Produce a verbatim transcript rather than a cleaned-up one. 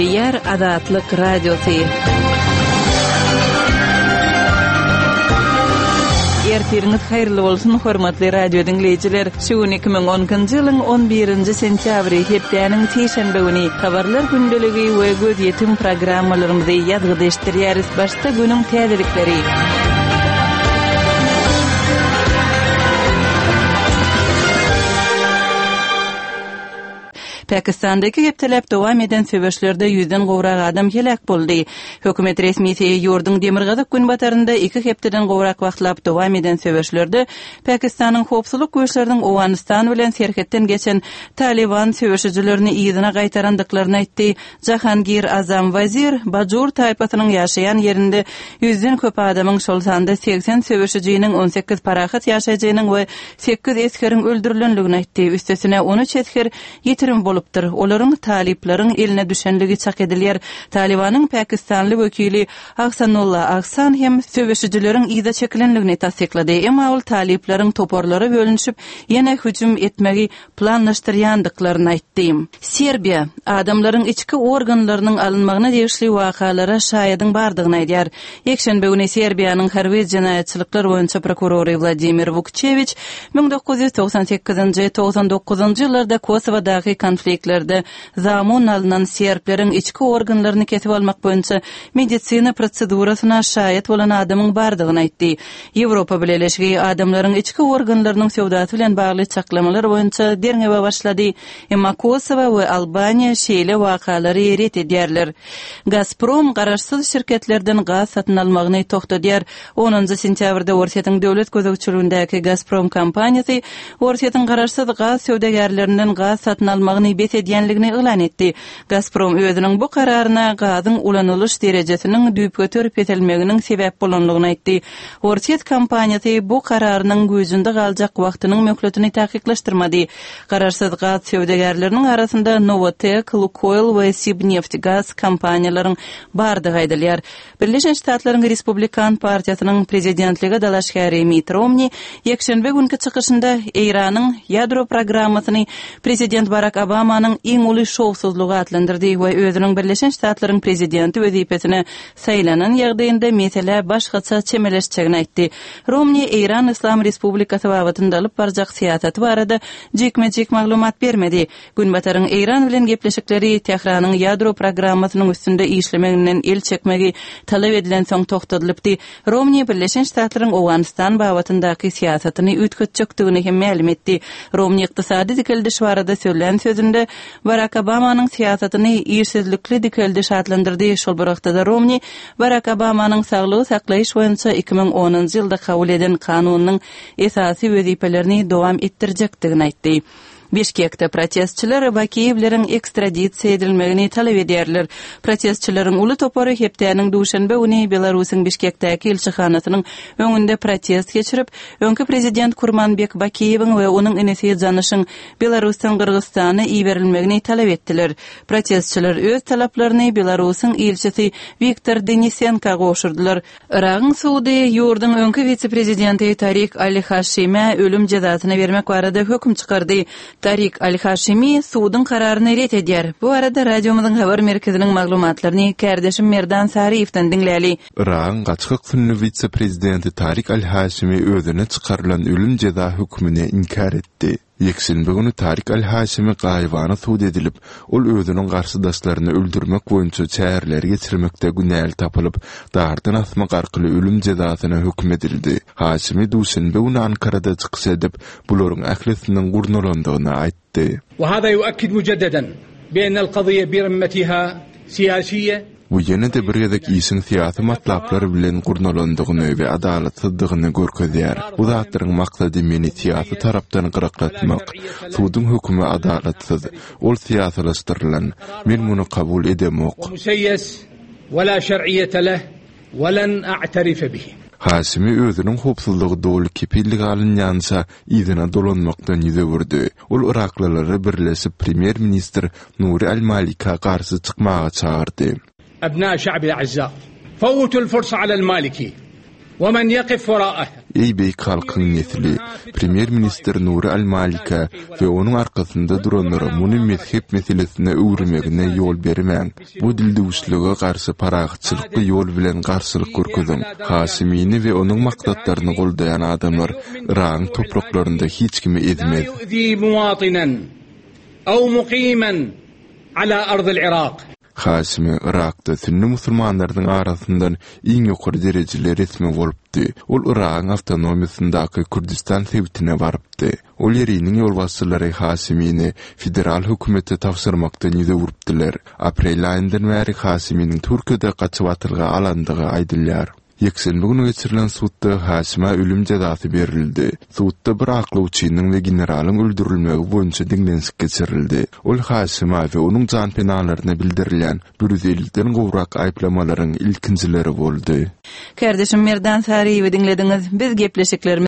Gepleýär Azatlyk Radiosy. Ertiriňiz haýyrly bolsun, hormatly radio diňleýjiler! Şu gün iki müň on ikinji ýylyň on birinji sentýabry, hepdäniň sişenbe güni. Habarlar gündeligi we gözýetim programmalarymyzy ýazgyda eşitdirýäris. Başda günüň täzelikleri. Pakistanda iki hepdeläp dowam eden söweşlerde ýüzden gowrak adam heläk boldy. Hökümet resmisi ýurduň demirgazyk-günbatarynda iki hepdeden gowrak wagtlap dowam eden söweşlerde Pakistanyň howpsuzlyk güýçleriniň Owganystan bilen serhetden geçen Talyban söweşijilerini yzyna gaýtarandyklaryny aýtdy. Jahangir Azam Wazir Bajur taýpasynyň ýaşaýan ýerinde ýüzden köp adamyň, şol sanda segsen söweşijiniň, on sekiz parahat ýaşaýjynyň we sekiz esgeriň öldürilendigini aýtdy. Üstesine on üç esger ýitirim bolupdyr. Olaryň talyplaryň eline düşenligi çak edilýär. Talybanyň pakistanly wekili Ahsanulla Ahsan hem söweşijileriň yza çekilendigini tassyklady. Emma ol talyplaryň toparlara bölünişip, ýene hüjüm etmegi planlaşdyrýandyklaryny aýtdy. Serbiýa adamlaryň içki organlarynyň alynmagyna degişli wakalara şaýadyň bardygyny aýdýar. Ýekşenbe güni Serbiýanyň harby jenaýatçylyklar boýunça prokurory Wladimir Wukçewiç müň dokuz ýüz togsan sekizinji, togsan dokuzynjy ýyllarda Kosowadaky konfliktlerde zamun alnan serbleriň içki organlaryny kesip almak boýunça medisina prosedurasyna şaýat bolan adamyň bardygyny aýtdy. Ýewropa Bileleşigi adamlaryň içki organlarynyň söwdasy bilen bagly çaklamalar boýunça derňewe başlady. Emma Kosowa we Albaniýa şeýle wakalary ret edýärler. Gazprom garaşsyz şirketlerden gaz satyn almagyny togtadýar. Onunjy sentýabrda Orsýetiň döwlet gözegçiligindäki Gazprom kompaniýasy Orsýetiň garaşsyz gaz söwdagärlerinden gaz satyn almagyny bes edýänligini yglan etdi. Gazprom özüniň bu kararyna gazyň ulanylyş derejesiniň düýpgöter peselmeginiň sebäp bolanlygyny aýtdy. Orsýet kompaniýasy bu kararynyň güýjünde galjak wagtynyň möhletini takyklaşdyrmady. Garaşsyz gaz söwdagärleriniň arasynda Novatek, Lukoil we Sibneftgaz kompaniýalaryň bardygy aýdylýar. Birleşen Ştatlaryň Respublikan partiýasynyň prezidentlige dalaşgäri Mitt Romni ýekşenbe günki çykyşynda Eýranyň ýadro programmasyny prezident Barak Obamanyň iň uly şowsuzlygy atlandyrdy we özüniň Birleşen Ştatlaryň prezidenti wezipesine saýlanan ýagdaýynda meselä başgaça çemeleşjegini aýtdy. Romni Eýran Yslam Respublikasy babatynda alyp barjak syýasaty barada jikme-jik maglumat bermedi. Günbataryň Eýran bilen gepleşikleri Tähranyň ýadro programmasynyň üstünde işlemeginden el çekmegi talap edilensoň togtadylypdy. Romni Birleşen Ştatlaryň Owganystan babatyndaky syýasatyny üýtgetjekdigini hem mälim etdi. Romni ykdysady dikeldiş barada sözlän sözünde Barak Obamanyň syýasatyny işsizlikli dikeldiş atlandyrdy. Şol bir wagtda-da Romni Barak Obamanyň saglygy saklaýyş boýunça iki müň onunjy ýylda kabul eden kanunynyň esasy wezipelerini dowam etdirjekdigini aýtdy. Bişkekde protestçiler Bakiýewleriň ekstradisiýa edilmegini talap edýärler. Protestçileriň uly topary hepdäniň duşenbe güni Belarusyň Bişkekdäki ilçihanasynyň öňünde protest geçirip, öňki prezident Kurmanbek Bakiýewiň we onuň inisi Janyşyň Belarusdan Gyrgyzystana iberilmegini talap etdiler. Protestçiler öz talaplaryny Belarusyň ilçisi Wiktor Denisenko gowşurdylar. Yragyň sudy ýurduň öňki wise-prezidenti Tarik Al-Haşime ölüm jezasyny bermek barada höküm çykardy. Tarik Al-Haşimi suduň kararyny ret edýär. Bu barada radiomyzyň habar merkeziniň maglumatlaryny kärdeşim Merdan Saryýewden diňläli. Yragyň gaçgak sünni wise-prezidenti Tarik Al-Haşimi özüne çykarylan ölüm jeza hökmüni inkär etdi. Ýekşenbe güni Tarik Al-Haşimi gaýybana sud edilip, ol özüniň garşydaşlaryny öldürmek boýunça çäreleri geçirmekde günäli tapylyp, dardan asmak arkaly ölüm jezasyna höküm edildi. Haşimi duşenbe güni Ankarada çykyş edip, bularyň ählisiniň gurnalandygyny aýtdy. وهذا يؤكد مجددا بأن القضية برمتها سياسية. Bu ýene-de bir gezek işiň syýasy matlaplar bilen gurnalandygyny we adalatsyzdygyny görkezýär. Bu zatlaryň maksady meni syýasy tarapdan gyraklatmak. Suduň hökümi adalatsyz, ol syýasylaşdyrylan. Men muny kabul edemok. ومسيس ولا شرعية له ولن أعترف به. Haşimi özüniň howpsuzlygy doly kepillik alynýança yzyna dolanmakdan ýüz öwürdi. Ol Iraklylara birleşip premýer-ministr Nuri Al-Malika garşy çykmaga çagyrdy. أبناء شعب الأعزاء فوتوا الفرصة على المالكي ومن يقف وراءها. Eý beýik halkyň nesli, Premýer-ministr Nuri al-Malikä we onuň arkasynda duranlara muny mezhep meselesine öwürmegine ýol bermäň. Bu dildüwüşlige garşy parahatçylykly ýol bilen garşylyk görkeziň. Haşimini we onuň maksatlaryny goldaýan adamlar Yragyň topraklarynda hiç kimi لا ezmez. يؤذي مواطنا أو مقيما على أرض العراق. Haşimi Yrakda sünni musulmanlarynyň arasyndan iň ýokary derejeli resmi bolupdy. Ol Yragyň awtonomiýasyndaky Kürdistan sebitine barypdy. Ol ýeriniň ýolbaşçylary Haşimini federal hökümete tabşyrmakdan ýüz öwüripdiler. Aprel aýyndan bäri Haşiminiň Türkiýede gaçybatyrga alandygy aýdylýar. Ýekşenbe güni geçirilen sudda Haşima ölüm jezasy berildi. Sudda bir aklawçynyň we generalyň öldürilmegi boýunça diňlenişik geçirildi. Ol Haşima we onuň janpenalaryna bildirilýän bir ýüz elliden gowrak aýyplamalaryň ilkinjileri boldy. Kardeşim Merdan Saryýewi diňlediňiz. Biz gepleşiklerimizi